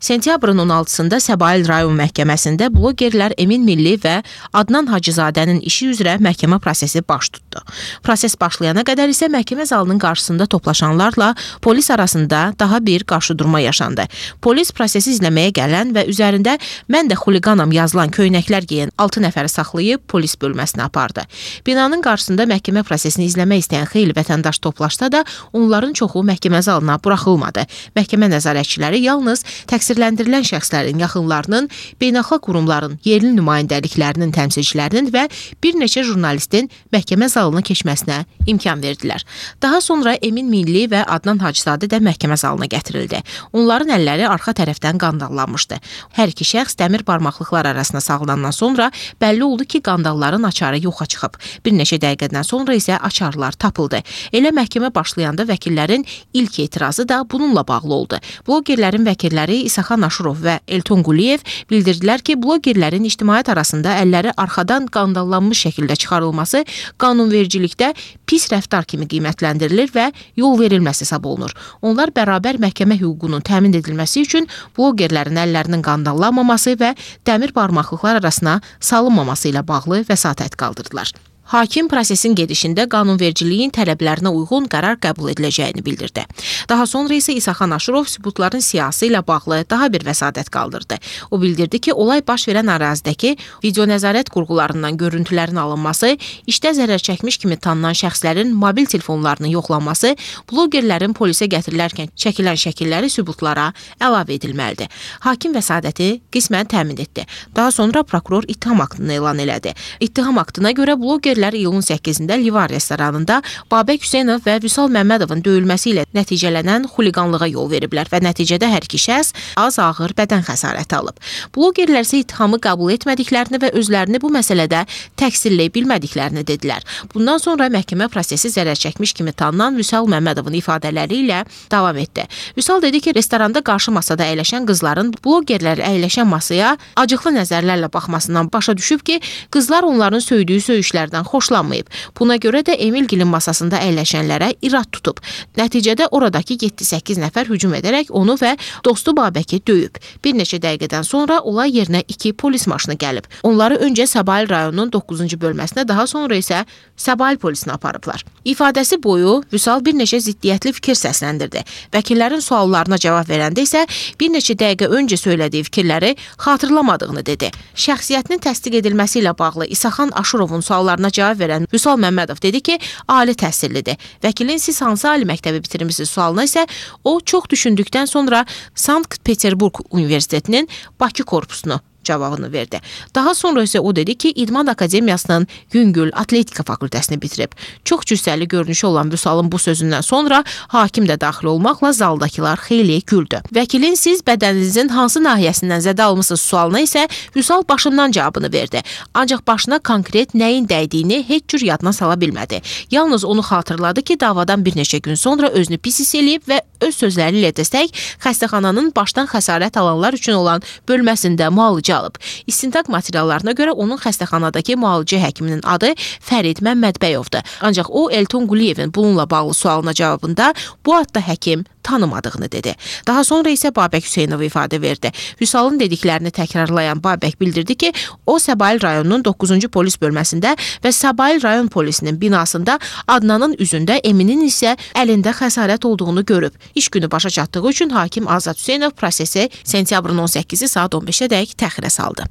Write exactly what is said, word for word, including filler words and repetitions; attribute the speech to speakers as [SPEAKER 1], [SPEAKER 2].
[SPEAKER 1] Sentyabrın on altısında Səbail rayon məhkəməsində blogerlər Emin Milli və Adnan Hacızadənin işi üzrə məhkəmə prosesi baş tutdu. Proses başlayana qədər isə məhkəmə zalının qarşısında toplaşanlarla polis arasında daha bir qarşıdurma yaşandı. Polis prosesi izləməyə gələn və üzərində "Mən də xuliqanam" yazılan köynəklər geyən altı nəfəri saxlayıb polis bölməsinə apardı. Binanın qarşısında məhkəmə prosesini izləmək istəyən xeyli vətəndaş toplaşsa da onların çoxu məhkəmə zalına buraxılmadı. Məhkəmə nəzarətçiləri yalnız təqsirləndirilən şəxslərin yaxınlarının, beynəlxalq qurumların, yerli nümayəndəliklərinin təmsilçilərinin və bir neçə jurnalistin məhkəmə zalına keçməsinə imkan verdilər. Daha sonra Emin Milli və Adnan Hacızadə də məhkəmə zalına gətirildi. Onların əlləri arxa tərəfdən qandallanmışdı. Hər iki şəxs dəmir barmaqlıqlar arasına salınandan sonra bəlli oldu ki, qandalların açarı yoxa çıxıb. Bir neçə dəqiqədən sonra isə açarlar tapıldı. Elə məhkəmə başlayanda vəkillərin ilk etirazı da bununla bağlı oldu. Blogerlərin vəkilləri İsaxan Aşurov və Elton Quliyev bildirdilər ki, blogerlərin ictimaiyyət arasında əlləri arxadan qandallanmış şəkildə çıxarılması qanunvericilikdə pis rəftar kimi qiymətləndirilir və yol verilməsi hesab olunur. Onlar bərabər məhkəmə hüququnun təmin edilməsi üçün blogerlərin əllərinin qandallanmaması və dəmir barmaqlıqlar arasına salınmaması ilə bağlı vəsatət qaldırdılar. Hakim prosesin gedişində qanunvericiliyin tələblərinə uyğun qərar qəbul ediləcəyini bildirdi. Daha sonra isə İsaxan Aşurov sübutların siyasi ilə bağlı daha bir vəsadət qaldırdı. O bildirdi ki, olay baş verən ərazidəki video nəzarət qurğularından görüntülərin alınması, işdə zərər çəkmiş kimi tanınan şəxslərin mobil telefonlarının yoxlanması, blogerlərin polisə gətirilərkən çəkilən şəkilləri sübutlara əlavə edilməlidir. Hakim vəsadəti qismən təmin etdi. Daha sonra prokuror ittiham aktını elan elədi. İttiham aktına görə bloger iyulun səkkizində Livan restoranında Babək Hüseynov və Vüsal Məmmədovun döyülməsi ilə nəticələnən xuliqanlığa yol veriblər və nəticədə hər iki şəxs az ağır bədən xəsarəti alıb. Blogerlər isə ittihamı qəbul etmədiklərini və özlərini bu məsələdə təqsirləyə bilmədiklərini dedilər. Bundan sonra məhkəmə prosesi zərər çəkmiş kimi tanınan Vüsal Məmmədovun ifadələri ilə davam etdi. Vüsal dedi ki, restoranda qarşı masada əyləşən qızların blogerlər əyləşən masaya acıqlı nəzərlərlə baxmasından başa düşüb ki, qızlar onların söydüyü söyüşlərdən xoşlanmayıb. Buna görə də Emilgilin masasında əyləşənlərə irad tutub. Nəticədə oradakı yeddi səkkiz nəfər hücum edərək onu və dostu Babəki döyüb. Bir neçə dəqiqədən sonra olay yerinə iki polis maşını gəlib. Onları öncə Səbail rayonunun doqquzuncu bölməsinə, daha sonra isə Səbail polisinə aparıblar. İfadəsi boyu Vüsal bir neçə ziddiyyətli fikir səsləndirdi. Vəkillərin suallarına cavab verəndə isə bir neçə dəqiqə öncə söylədiyi fikirləri xatırlamadığını dedi. Şəxsiyyətinin təsdiq edilməsi ilə bağlı İsaxan Aşurovun suallarına cavab verən Vüsal Məmmədov dedi ki, ali təhsillidir. Vəkilin siz hansı ali məktəbi bitirmisiniz sualına isə o çox düşündükdən sonra Sankt-Peterburq Universitetinin Bakı korpusunu cavabını verdi. Daha sonra isə o dedi ki, İdman Akademiyasının Yüngül Atletika fakültəsini bitirib. Çox cüssəli görünüşü olan Vüsalın bu sözündən sonra hakim də daxil olmaqla zaldakılar xeyli güldü. Vəkilin siz bədəninizin hansı nahiyəsindən zədə almısınız sualına isə Vüsal başından cavabını verdi. Ancaq başına konkret nəyin dəydiyini heç cür yadına sala bilmədi. Yalnız onu xatırladı ki, davadan bir neçə gün sonra özünü pis hiss eləyib və öz sözləri ilə desək, xəstəxananın başdan xəsarət alanlar üçün olan bölməsində müalicə alıb. İstintaq materiallarına görə onun xəstəxanadakı müalicə həkiminin adı Fərid Məmmədbəyovdur. Ancaq o Elton Quliyevin bununla bağlı sualına cavabında bu adda həkim tanımadığını dedi. Daha sonra isə Babək Hüseynov ifadə verdi. Vüsalın dediklərini təkrarlayan Babək bildirdi ki, o Səbail rayonunun doqquzuncu polis bölməsində və Səbail rayon polisinin binasında Adnanın üzündə, Eminin isə əlində xəsarət olduğunu görüb. İş günü başa çatdığı üçün hakim Azad Hüseynov prosesi sentyabrın on səkkizi saat on beşə dək təxirə saldı.